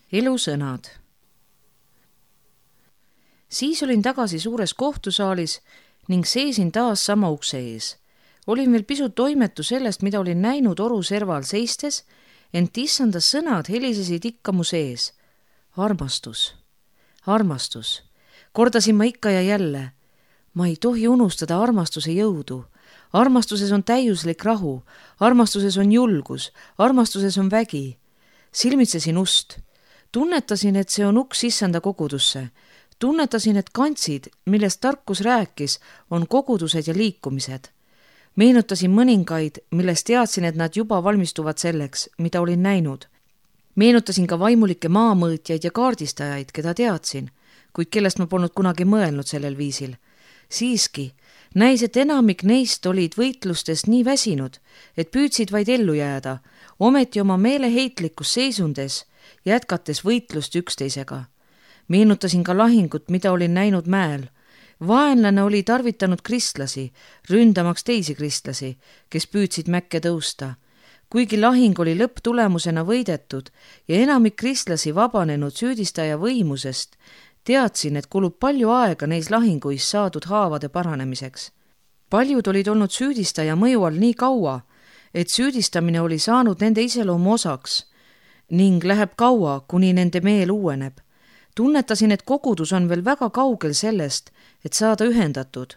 Elusõnad. Siis olin tagasi suures kohtusaalis ning seisin taas sama ukse ees. Olin veel pisut toimetu sellest, mida olin näinud oru serval seistes, ent issanda sõnad helisesid ikka mu sees. Armastus, armastus. Kordasin ma ikka ja jälle. Ma ei tohi unustada armastuse jõudu. Armastuses on täiuslik rahu, armastuses on julgus, armastuses on vägi. Silmitsesin ust. Tunnetasin, et see on uks issanda kogudusse. Tunnetasin, et kantsid, millest tarkus rääkis, on kogudused ja liikumised. Meenutasin mõningaid, millest teadsin, et nad juba valmistuvad selleks, mida olin näinud. Meenutasin ka vaimulikke maamõõtjaid ja kaardistajaid, keda teadsin, kuid kellest ma polnud kunagi mõelnud sellel viisil. Siiski, näis, et enamik neist olid võitlustes nii väsinud, et püüdsid vaid ellu jääda, ometi oma meeleheitlikus seisundes, jätkates võitlust üksteisega. Meenutasin ka lahingut, mida olin näinud mäel. Vaenlane oli tarvitanud kristlasi, ründamaks teisi kristlasi, kes püüdsid mäkke tõusta. Kuigi lahing oli lõpptulemusena võidetud ja enamik kristlasi vabanenud süüdistaja võimusest, teadsin, et kulub palju aega neis lahinguis saadud haavade paranemiseks. Paljud olid olnud süüdistaja mõju all nii kaua, et süüdistamine oli saanud nende iseloomu osaks ning läheb kaua, kuni nende meel uueneb. Tunnetasin, et kogudus on veel väga kaugel sellest, et saada ühendatud.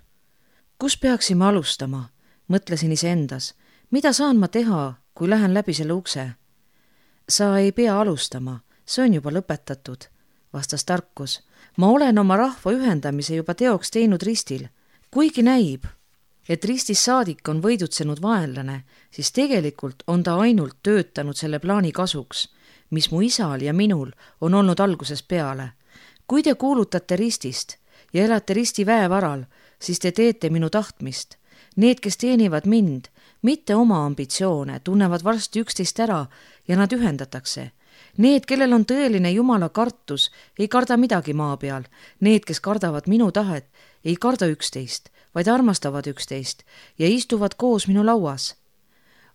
Kus peaksime alustama? Mõtlesin iseendas. Mida saan ma teha, kui lähen läbi selle ukse? Sa ei pea alustama, see on juba lõpetatud, vastas tarkus. Ma olen oma rahva ühendamise juba teoks teinud ristil. Kuigi näib, et ristis saadik on võidutsenud vaenlane, siis tegelikult on ta ainult töötanud selle plaani kasuks, mis mu isal ja minul on olnud algusest peale. Kui te kuulutate ristist ja elate risti väevaral, siis te teete minu tahtmist. Need, kes teenivad mind, mitte oma ambitsioone, tunnevad varsti üksteist ära ja nad ühendatakse. Need, kellel on tõeline Jumala kartus, ei karda midagi maa peal. Need, kes kardavad minu tahet, ei karda üksteist, vaid armastavad üksteist ja istuvad koos minu lauas.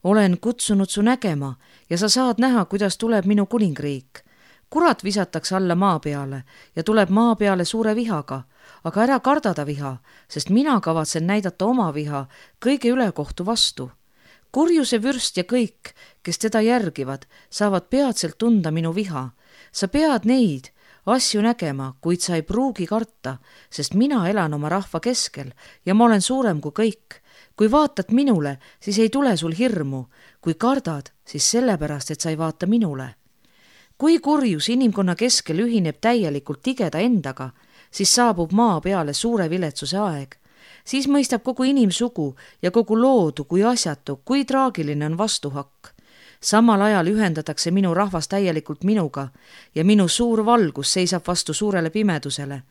Olen kutsunud su nägema ja sa saad näha, kuidas tuleb minu kuningriik. Kurat visatakse alla maa peale ja tuleb maa peale suure vihaga, aga ära kardada viha, sest mina kavatsen näidata oma viha kõige ülekohtu vastu. Kurjuse vürst ja kõik, kes teda järgivad, saavad peatselt tunda minu viha. Sa pead neid asju nägema, kuid sa ei pruugi karta, sest mina elan oma rahva keskel ja ma olen suurem kui kõik. Kui vaatad minule, siis ei tule sul hirmu. Kui kardad, siis sellepärast, et sa ei vaata minule. Kui kurjus inimkonna keskel ühineb täielikult tigeda endaga, siis saabub maa peale suure viletsuse aeg. Siis mõistab kogu inimsugu ja kogu loodu kui asjatu, kui traagiline on vastuhakk. Samal ajal ühendatakse minu rahvas täielikult minuga ja minu suur valgus seisab vastu suurele pimedusele.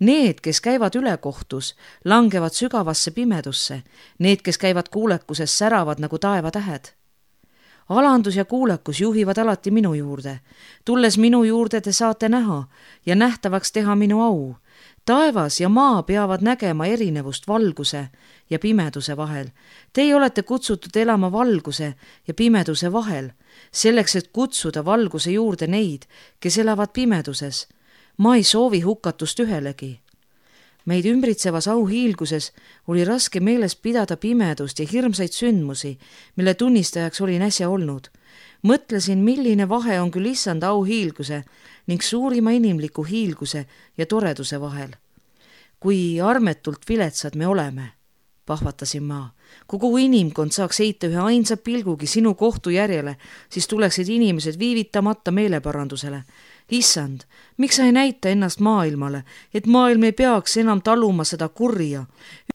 Need, kes käivad ülekohtus, langevad sügavasse pimedusse. Need, kes käivad kuulekuses, säravad nagu taevatähed. Alandus ja kuulekus juhivad alati minu juurde. Tulles minu juurde te saate näha ja nähtavaks teha minu au. Taevas ja maa peavad nägema erinevust valguse ja pimeduse vahel. Teie olete kutsutud elama valguse ja pimeduse vahel, selleks, et kutsuda valguse juurde neid, kes elavad pimeduses. Ma ei soovi hukatust ühelegi. Meid ümbritsevas auhiilguses oli raske meeles pidada pimedust ja hirmsaid sündmusi, mille tunnistajaks olin äsja olnud. Mõtlesin, milline vahe on küll issanda auhiilguse ning suurima inimliku hiilguse ja toreduse vahel. Kui armetult viletsad me oleme, pahvatasin ma. Kogu inimkond saaks heita ühe ainsa pilgugi sinu kohtu järjele, siis tuleksid inimesed viivitamata meeleparandusele. Issand, miks sa ei näita ennast maailmale, et maailm ei peaks enam taluma seda kurja?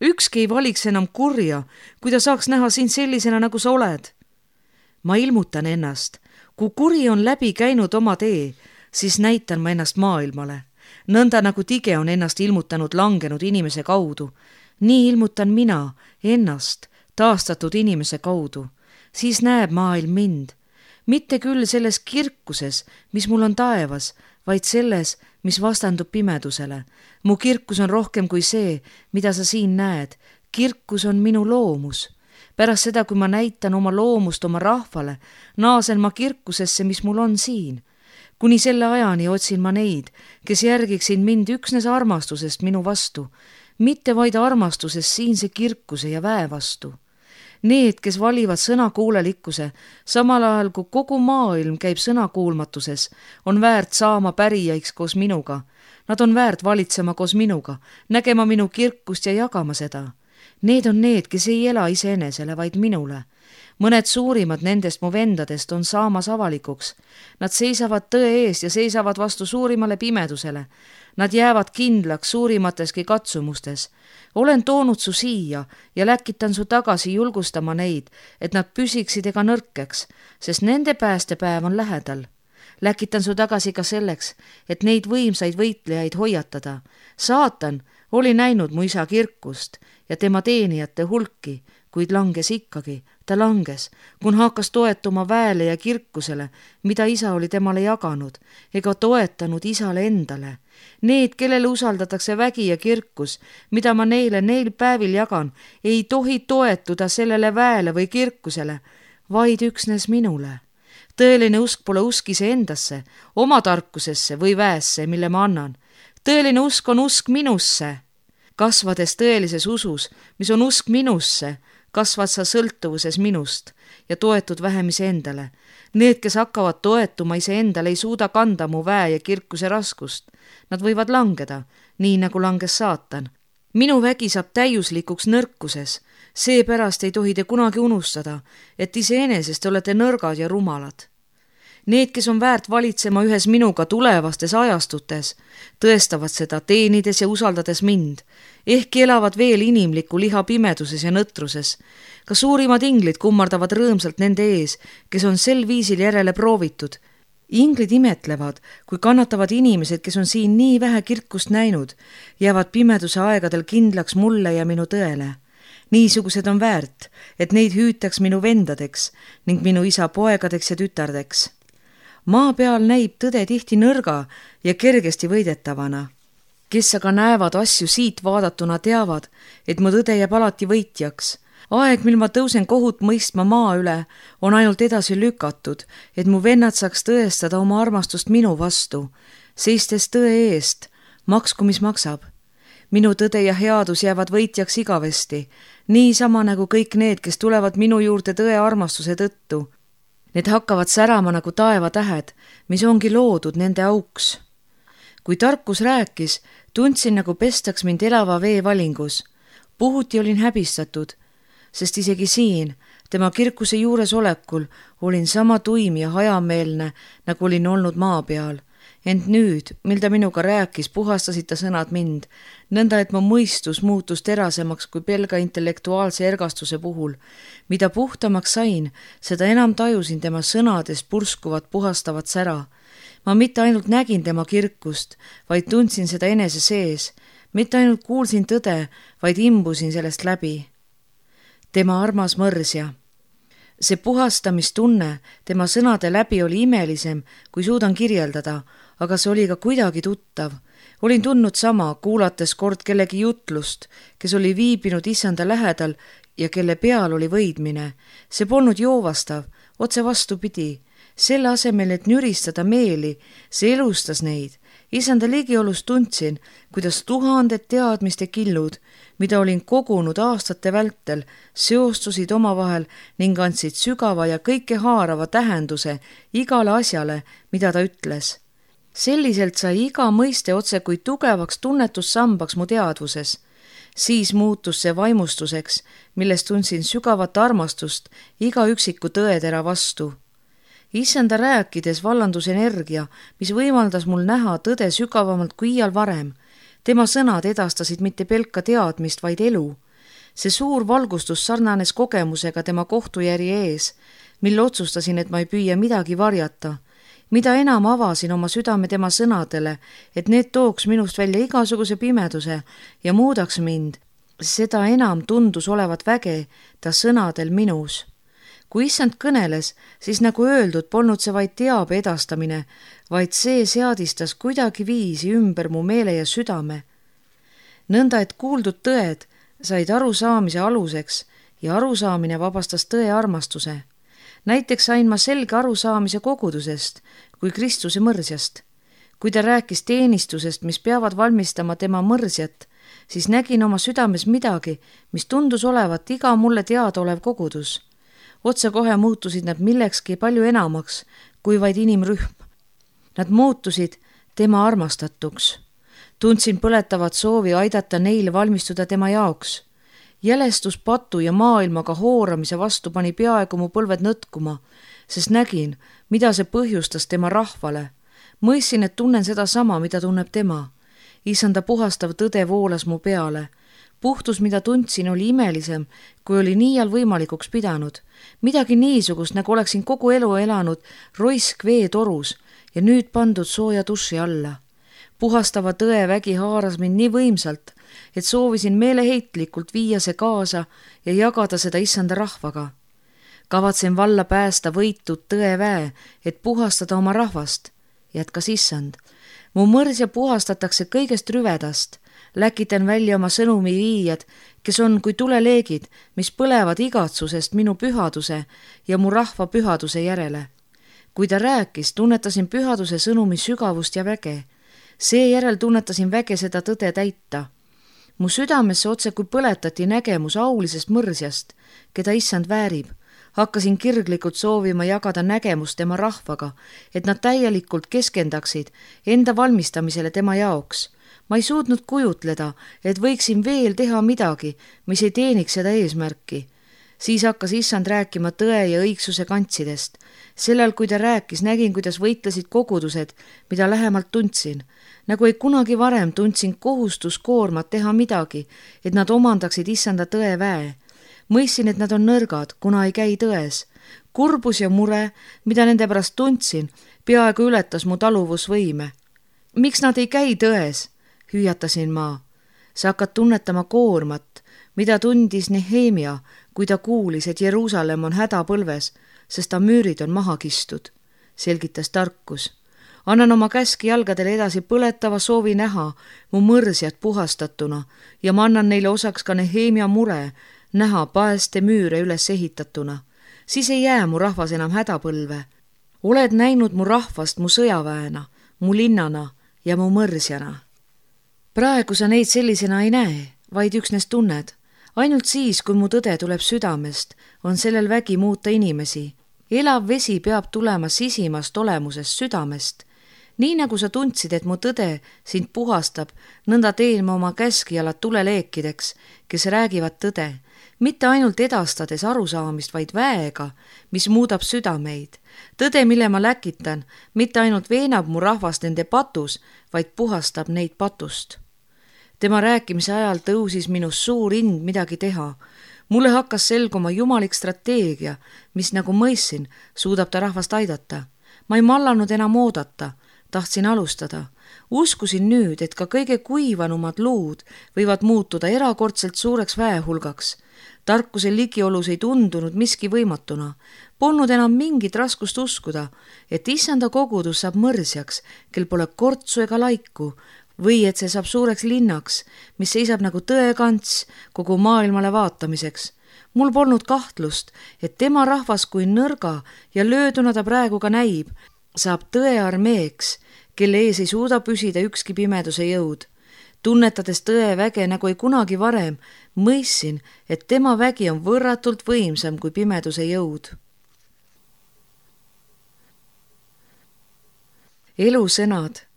Ükski ei valiks enam kurja, kui ta saaks näha sind sellisena, nagu sa oled. Ma ilmutan ennast. Kui kuri on läbi käinud oma tee, siis näitan ma ennast maailmale. Nõnda nagu tige on ennast ilmutanud langenud inimese kaudu. Nii ilmutan mina ennast taastatud inimese kaudu. Siis näeb maailm mind. Mitte küll selles kirkuses, mis mul on taevas, vaid selles, mis vastandub pimedusele. Mu kirkus on rohkem kui see, mida sa siin näed. Kirkus on minu loomus. Pärast seda, kui ma näitan oma loomust oma rahvale, naasen ma kirkusesse, mis mul on siin. kuni selle ajani otsin ma neid, kes järgiksid mind üksnes armastusest minu vastu, mitte vaid armastusest siinse kirkuse ja väe vastu. Need, kes valivad sõnakuulelikkuse, samal ajal kui kogu maailm käib sõnakuulmatuses, on väärt saama pärijaiks koos minuga. Nad on väärt valitsema koos minuga, nägema minu kirkust ja jagama seda. Need on need, kes ei ela iseenesele, vaid minule. Mõned suurimad nendest mu vendadest on saamas avalikuks. Nad seisavad tõe eest ja seisavad vastu suurimale pimedusele. Nad jäävad kindlaks suurimateski katsumustes. Olen toonud su siia ja läkitan su tagasi julgustama neid, et nad püsiksid ega nõrkeks, sest nende päästepäev on lähedal. Läkitan su tagasi ka selleks, et neid võimsaid võitlejaid hoiatada. Saatan oli näinud mu isa kirkust ja tema teenijate hulki, kuid langes ikkagi. Ta langes, kun hakkas toetuma väele ja kirkusele, mida isa oli temale jaganud, ega toetanud isale endale. Need, kellele usaldatakse vägi ja kirkus, mida ma neil päevil jagan, ei tohi toetuda sellele väele või kirkusele, vaid üksnes minule. Tõeline usk pole usk iseendasse, oma tarkusesse või väesse, mille ma annan. Tõeline usk on usk minusse. Kasvades tõelises usus, mis on usk minusse, kasvad sa sõltuvuses minust ja toetud vähem iseendale. Need, kes hakkavad toetuma iseendale, ei suuda kanda mu väe ja kirkuse raskust. Nad võivad langeda, nii nagu langes saatan. Minu vägi saab täiuslikuks nõrkuses. Seepärast ei tohi te kunagi unustada, et iseenesest olete nõrgad ja rumalad. Need, kes on väärt valitsema ühes minuga tulevastes ajastutes, tõestavad seda teenides ja usaldades mind. Ehkki elavad veel inimliku liha pimeduses ja nõtruses. Ka suurimad inglid kummardavad rõõmsalt nende ees, kes on sel viisil järele proovitud. Inglid imetlevad, kui kannatavad inimesed, kes on siin nii vähe kirkust näinud, jäävad pimeduse aegadel kindlaks mulle ja minu tõele. Niisugused on väärt, et neid hüütaks minu vendadeks ning minu isa poegadeks ja tütardeks. Maa peal näib tõde tihti nõrga ja kergesti võidetavana. Kes aga näevad asju siit vaadatuna teavad, et mu tõde jääb alati võitjaks. Aeg, mil ma tõusen kohut mõistma maa üle, on ainult edasi lükatud, et mu vennad saaks tõestada oma armastust minu vastu, seistes tõe eest, maksku mis maksab. Minu tõde ja headus jäävad võitjaks igavesti, niisama nagu kõik need, kes tulevad minu juurde tõe armastuse tõttu. Need hakkavad särama nagu taevatähed, mis ongi loodud nende auks. Kui tarkus rääkis, tundsin nagu pestaks mind elava vee valingus. Puhuti olin häbistatud, sest isegi siin, tema kirkuse juures olekul, olin sama tuim ja hajameelne, nagu olin olnud maa peal. Ent nüüd, mil ta minuga rääkis, puhastasid ta sõnad mind, nõnda et mu mõistus muutus terasemaks kui pelga intellektuaalse ergastuse puhul. Mida puhtamaks sain, seda enam tajusin tema sõnades purskuvat puhastavat sära. Ma mitte ainult nägin tema kirkust, vaid tundsin seda enese sees. Mitte ainult kuulsin tõde, vaid imbusin sellest läbi. Tema armas mõrsja. See puhastamistunne tema sõnade läbi oli imelisem, kui suudan kirjeldada, aga see oli ka kuidagi tuttav. Olin tundnud sama, kuulates kord kellegi jutlust, kes oli viibinud issanda lähedal ja kelle peal oli võidmine. See polnud joovastav, otse vastupidi. Selle asemel, et nüristada meeli, see elustas neid. Issanda ligiolust tundsin, kuidas tuhanded teadmiste killud, mida olin kogunud aastate vältel, seostusid omavahel ning andsid sügava ja kõike haarava tähenduse igale asjale, mida ta ütles. Selliselt sai iga mõiste otse kui tugevaks tunnetussambaks mu teadvuses. Siis muutus see vaimustuseks, millest tundsin sügavat armastust iga üksiku tõetera vastu. Issanda rääkides vallandus energia, mis võimaldas mul näha tõde sügavamalt kui iial varem. Tema sõnad edastasid mitte pelka teadmist, vaid elu. See suur valgustus sarnanes kogemusega tema kohtujärje ees, mil otsustasin, et ma ei püüa midagi varjata. Mida enam avasin oma südame tema sõnadele, et need tooks minust välja igasuguse pimeduse ja muudaks mind, seda enam tundus olevat väge ta sõnadel minus. Kui issand kõneles, siis nagu öeldud, polnud see vaid teabe edastamine, vaid see seadistas kuidagi viisi ümber mu meele ja südame. Nõnda, et kuuldud tõed said arusaamise aluseks ja arusaamine vabastas tõe armastuse. Näiteks sain ma selge arusaamise kogudusest, kui Kristuse mõrsjast. Kui ta rääkis teenistusest, mis peavad valmistama tema mõrsjat, siis nägin oma südames midagi, mis tundus olevat iga mulle teadaolev kogudus. Otsekohe muutusid nad millekski palju enamaks kui vaid inimrühm. Nad muutusid tema armastatuks. Tundsin põletavat soovi aidata neil valmistuda tema jaoks. Jälestus patu ja maailmaga hooramise vastu pani peaaegu mu põlved nõtkuma, sest nägin, mida see põhjustas tema rahvale. Mõistsin, et tunnen seda sama, mida tunneb tema. Issanda puhastav tõde voolas mu peale. Puhtus, mida tundsin, oli imelisem, kui oli niial võimalikuks pidanud. Midagi niisugust, nagu oleksin kogu elu elanud roisk veetorus ja nüüd pandud sooja duši alla. Puhastava tõe vägi haaras mind nii võimsalt, et soovisin meeleheitlikult viia see kaasa ja jagada seda issanda rahvaga. Kavatsen valla päästa võitud tõeväe, et puhastada oma rahvast, jätkas issand. Mu mõrsja puhastatakse kõigest rüvedast. Läkitan välja oma sõnumi viijad, kes on kui tuleleegid, mis põlevad igatsusest minu pühaduse ja mu rahva pühaduse järele. Kui ta rääkis, tunnetasin pühaduse sõnumi sügavust ja väge. Seejärel tunnetasin väge seda tõde täita. Mu südamesse otse kui põletati nägemus aulisest mõrsjast, keda issand väärib. Hakkasin kirglikult soovima jagada nägemust tema rahvaga, et nad täielikult keskendaksid enda valmistamisele tema jaoks. Ma ei suutnud kujutleda, et võiksin veel teha midagi, mis ei teeniks seda eesmärki. Siis hakkas issand rääkima tõe ja õigsuse kantsidest. Sellel, kui ta rääkis, nägin, kuidas võitlesid kogudused, mida lähemalt tundsin. Nagu ei kunagi varem tundsin kohustuskoormat teha midagi, et nad omandaksid issanda tõe väe. Mõistsin, et nad on nõrgad, kuna ei käi tões. Kurbus ja mure, mida nende pärast tundsin, peaaegu ületas mu taluvusvõime. Miks nad ei käi tões? Hüüatasin ma. Sa hakkad tunnetama koormat, mida tundis Nehemia, kui ta kuulis, et Jeruusalemm on hädapõlves, sest ta müürid on maha kistud, selgitas tarkus. Annan oma käski jalgadele edasi põletava soovi näha mu mõrsjad puhastatuna ja ma annan neile osaks ka Nehemia mure näha paeste müüre üles ehitatuna. Siis ei jää mu rahvas enam hädapõlve. Oled näinud mu rahvast mu sõjaväena, mu linnana ja mu mõrsjana. Praegu sa neid sellisena ei näe, vaid üksnes tunned. Ainult siis, kui mu tõde tuleb südamest, on sellel vägi muuta inimesi. Elav vesi peab tulema sisimast olemusest südamest. Nii nagu sa tundsid, et mu tõde sind puhastab, nõnda teen ma oma käskijalad tuleleekideks, kes räägivad tõde, mitte ainult edastades arusaamist, vaid väega, mis muudab südameid. Tõde, mille ma läkitan, mitte ainult veenab mu rahvast nende patus, vaid puhastab neid patust. Tema rääkimise ajal tõusis minus suur ind midagi teha. Mulle hakkas selguma jumalik strateegia, mis nagu mõistsin, suudab ta rahvast aidata. Ma ei mallanud enam oodata, tahtsin alustada. Uskusin nüüd, et ka kõige kuivanumad luud võivad muutuda erakordselt suureks väehulgaks. Tarkuse ligiolus ei tundunud miski võimatuna. Polnud enam mingit raskust uskuda, et issanda kogudus saab mõrsjaks, kel pole kortsu ega laiku, või et see saab suureks linnaks, mis seisab nagu tõekants kogu maailmale vaatamiseks. Mul polnud kahtlust, et tema rahvas kui nõrga ja lööduna ta praegu ka näib, saab tõe armeeks, kelle ees ei suuda püsida ükski pimeduse jõud. Tunnetades tõe väge nagu ei kunagi varem, mõistsin, et tema vägi on võrratult võimsam kui pimeduse jõud. Elusõnad.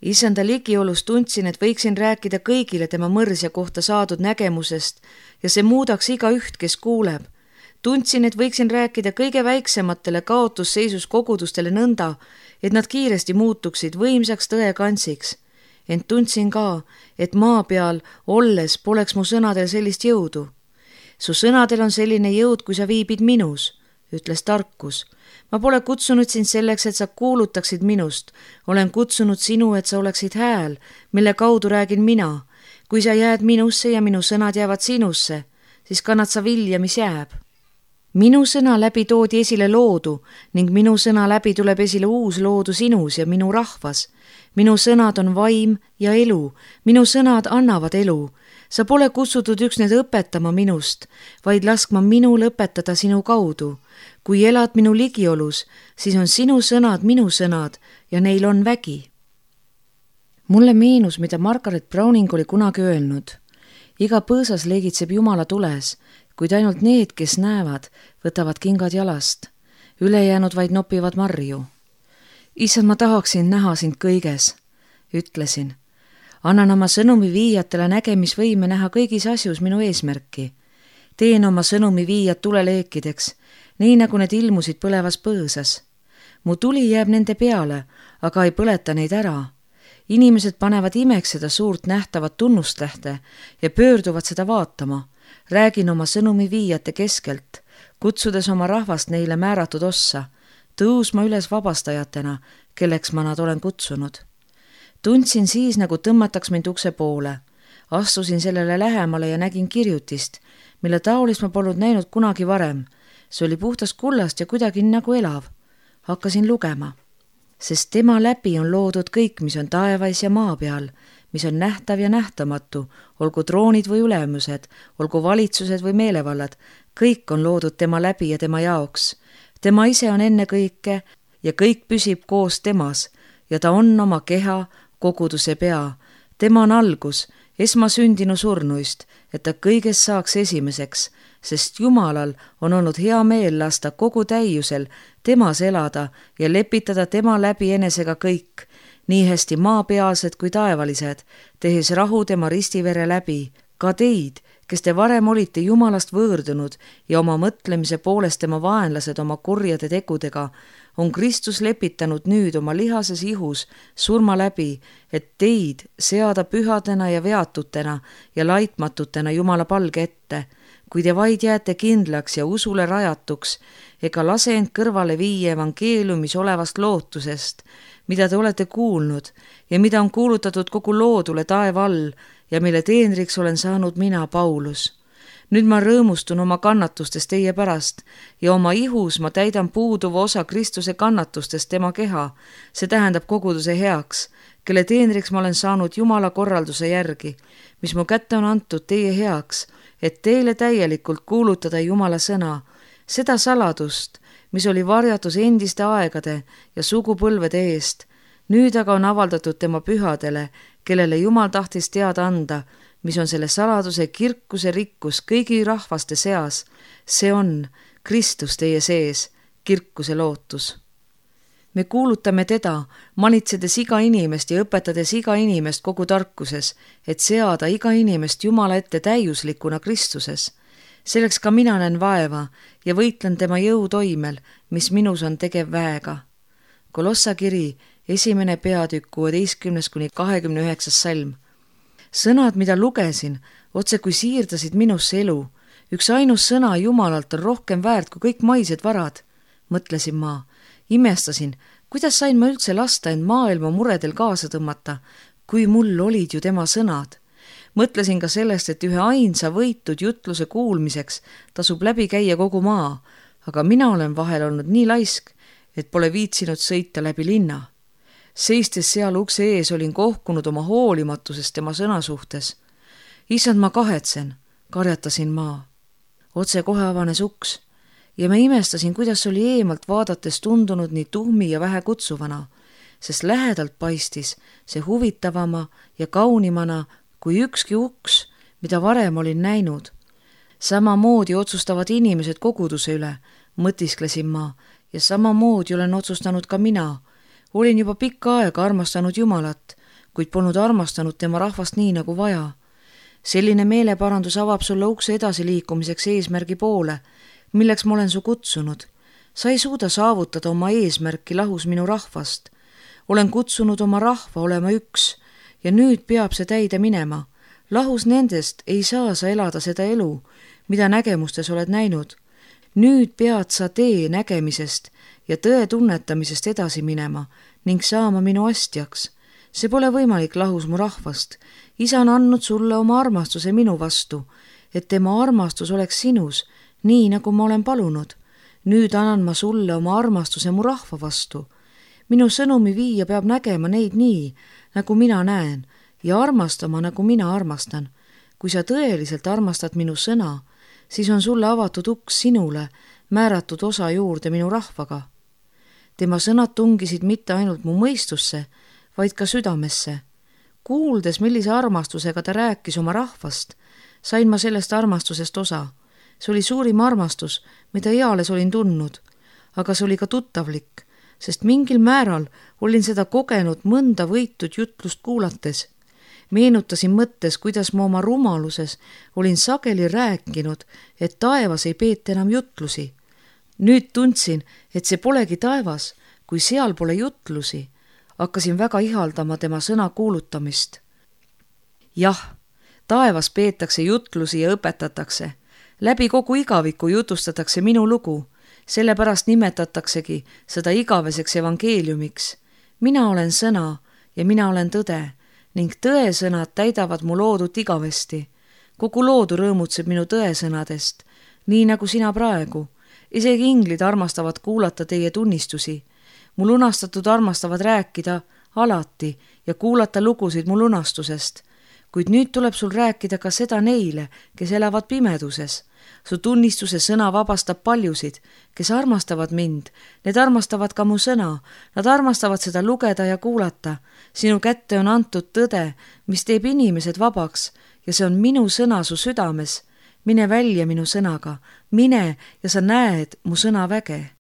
Issanda ligiolus tundsin, et võiksin rääkida kõigile tema mõrsja kohta saadud nägemusest ja see muudaks iga üht, kes kuuleb. Tundsin, et võiksin rääkida kõige väiksematele kaotusseisus kogudustele nõnda, et nad kiiresti muutuksid võimsaks tõekantsiks. Ent tundsin ka, et maa peal olles poleks mu sõnadel sellist jõudu. Su sõnadel on selline jõud, kui sa viibid minus, ütles tarkus. Ma pole kutsunud sind selleks, et sa kuulutaksid minust. Olen kutsunud sinu, et sa oleksid hääl, mille kaudu räägin mina. Kui sa jääd minusse ja minu sõnad jäävad sinusse, siis kannad sa vilja, mis jääb. Minu sõna läbi toodi esile loodu ning minu sõna läbi tuleb esile uus loodu sinus ja minu rahvas. Minu sõnad on vaim ja elu. Minu sõnad annavad elu. Sa pole kutsutud üksnes õpetama minust, vaid laskma minul õpetada sinu kaudu. kui elad minu ligiolus, siis on sinu sõnad minu sõnad ja neil on vägi. Mulle meenus, mida Margaret Browning oli kunagi öelnud. Iga põõsas leegitseb Jumala tules, kuid ainult need, kes näevad, võtavad kingad jalast. Ülejäänud vaid nopivad marju. Issand, ma tahaksin näha sind kõiges, ütlesin. Annan oma sõnumi viijatele nägemisvõime näha kõigis asjus minu eesmärki. Teen oma sõnumi viijad tuleleekideks, nii nagu need ilmusid põlevas põõsas. Mu tuli jääb nende peale, aga ei põleta neid ära. Inimesed panevad imeks seda suurt nähtavat tunnustähte ja pöörduvad seda vaatama. Räägin oma sõnumi viijate keskelt, kutsudes oma rahvast neile määratud ossa, tõusma üles vabastajatena, kelleks ma nad olen kutsunud. Tundsin siis, nagu tõmmataks mind ukse poole. Astusin sellele lähemale ja nägin kirjutist, mille taolist ma polnud näinud kunagi varem. See oli puhtast kullast ja kuidagi nagu elav. Hakkasin lugema. Sest tema läbi on loodud kõik, mis on taevas ja maa peal, mis on nähtav ja nähtamatu, olgu troonid või ülemused, olgu valitsused või meelevallad, kõik on loodud tema läbi ja tema jaoks. Tema ise on enne kõike ja kõik püsib koos temas ja ta on oma keha, koguduse pea. Tema on algus, esmasündinu surnuist, et ta kõigest saaks esimeseks, sest Jumalal on olnud hea meel lasta kogu täiusel temas elada ja lepitada tema läbi enesega kõik, nii hästi maapealsed kui taevalised, tehes rahu tema ristivere läbi, ka teid, kes te varem olite Jumalast võõrdunud ja oma mõtlemise poolest tema vaenlased oma kurjade tegudega, on Kristus lepitanud nüüd oma lihases ihus surma läbi, et teid seada pühadena ja veatutena ja laitmatutena Jumala palge ette, kui te vaid jääte kindlaks ja usule rajatuks, ega lase end kõrvale viia evangeeliumis olevast lootusest, mida te olete kuulnud ja mida on kuulutatud kogu loodule taeva all ja mille teenriks olen saanud mina, Paulus. Nüüd ma rõõmustun oma kannatustest teie pärast ja oma ihus ma täidan puuduva osa Kristuse kannatustest tema keha, see tähendab koguduse heaks, kelle teenriks ma olen saanud Jumala korralduse järgi, mis mu kätte on antud teie heaks, et teile täielikult kuulutada Jumala sõna, seda saladust, mis oli varjatus endiste aegade ja sugupõlvede eest, nüüd aga on avaldatud tema pühadele, kellele Jumal tahtis teada anda, mis on selle saladuse kirkuse rikkus kõigi rahvaste seas, see on Kristus teie sees, kirkuse lootus. Me kuulutame teda, manitsedes iga inimest ja õpetades iga inimest kogu tarkuses, et seada iga inimest Jumala ette täiuslikuna Kristuses. Selleks ka mina näen vaeva ja võitlen tema jõutoimel, mis minus on tegev väega. Kolossa kiri, 1. peatükk 16–29 salm. Sõnad, mida lugesin, otse kui siirdasid minusse elu. Üks ainus sõna Jumalalt on rohkem väärt kui kõik maised varad, mõtlesin ma. Imestasin, kuidas sain ma üldse lasta end maailma muredel kaasa tõmmata, kui mul olid ju tema sõnad. Mõtlesin ka sellest, et ühe ainsa võitud jutluse kuulmiseks tasub läbi käia kogu maa, aga mina olen vahel olnud nii laisk, et pole viitsinud sõita läbi linna. Seistes seal ukse ees olin kohkunud oma hoolimatusest tema sõna suhtes. Issand, ma kahetsen, karjatasin ma. Otse kohe avanes uks ja ma imestasin, kuidas oli eemalt vaadates tundunud nii tuhmi ja vähe kutsuvana, sest lähedalt paistis see huvitavama ja kaunimana kui ükski uks, mida varem olin näinud. Samamoodi otsustavad inimesed koguduse üle, mõtisklesin ma, ja samamoodi olen otsustanud ka mina. Olin juba pikka aega armastanud Jumalat, kuid polnud armastanud tema rahvast nii nagu vaja. Selline meeleparandus avab sulle ukse edasiliikumiseks eesmärgi poole, milleks ma olen su kutsunud. Sa ei suuda saavutada oma eesmärki lahus minu rahvast. Olen kutsunud oma rahva olema üks ja nüüd peab see täide minema. Lahus nendest ei saa sa elada seda elu, mida nägemustes oled näinud. Nüüd pead sa tee nägemisest ja tõe tunnetamisest edasi minema ning saama minu astjaks. See pole võimalik lahus mu rahvast. Isa on andnud sulle oma armastuse minu vastu, et tema armastus oleks sinus, nii nagu ma olen palunud. Nüüd annan ma sulle oma armastuse mu rahva vastu. Minu sõnumi viija peab nägema neid nii, nagu mina näen, ja armastama, nagu mina armastan. Kui sa tõeliselt armastad minu sõna, siis on sulle avatud uks sinule, määratud osa juurde minu rahvaga. Tema sõnad tungisid mitte ainult mu mõistusse, vaid ka südamesse. Kuuldes, millise armastusega ta rääkis oma rahvast, sain ma sellest armastusest osa. See oli suurim armastus, mida eales olin tundnud, aga see oli ka tuttavlik, sest mingil määral olin seda kogenud mõnda võitud jutlust kuulates. Meenutasin mõttes, kuidas ma oma rumaluses olin sageli rääkinud, et taevas ei peeta enam jutlusi. Nüüd tundsin, et see polegi taevas, kui seal pole jutlusi. Hakkasin väga ihaldama tema sõna kuulutamist. Jah, taevas peetakse jutlusi ja õpetatakse. Läbi kogu igaviku jutustatakse minu lugu, sellepärast nimetataksegi seda igaveseks evangeeliumiks. Mina olen sõna ja mina olen tõde ning tõesõnad täidavad mu loodut igavesti. Kogu loodu rõõmutseb minu tõesõnadest, nii nagu sina praegu. Isegi inglid armastavad kuulata teie tunnistusi. Mu lunastatud armastavad rääkida alati ja kuulata lugusid mu lunastusest. Kuid nüüd tuleb sul rääkida ka seda neile, kes elavad pimeduses. Su tunnistuse sõna vabastab paljusid, kes armastavad mind. Need armastavad ka mu sõna. Nad armastavad seda lugeda ja kuulata. Sinu kätte on antud tõde, mis teeb inimesed vabaks ja see on minu sõna su südames. Mine välja minu sõnaga, mine ja sa näed mu sõna väge.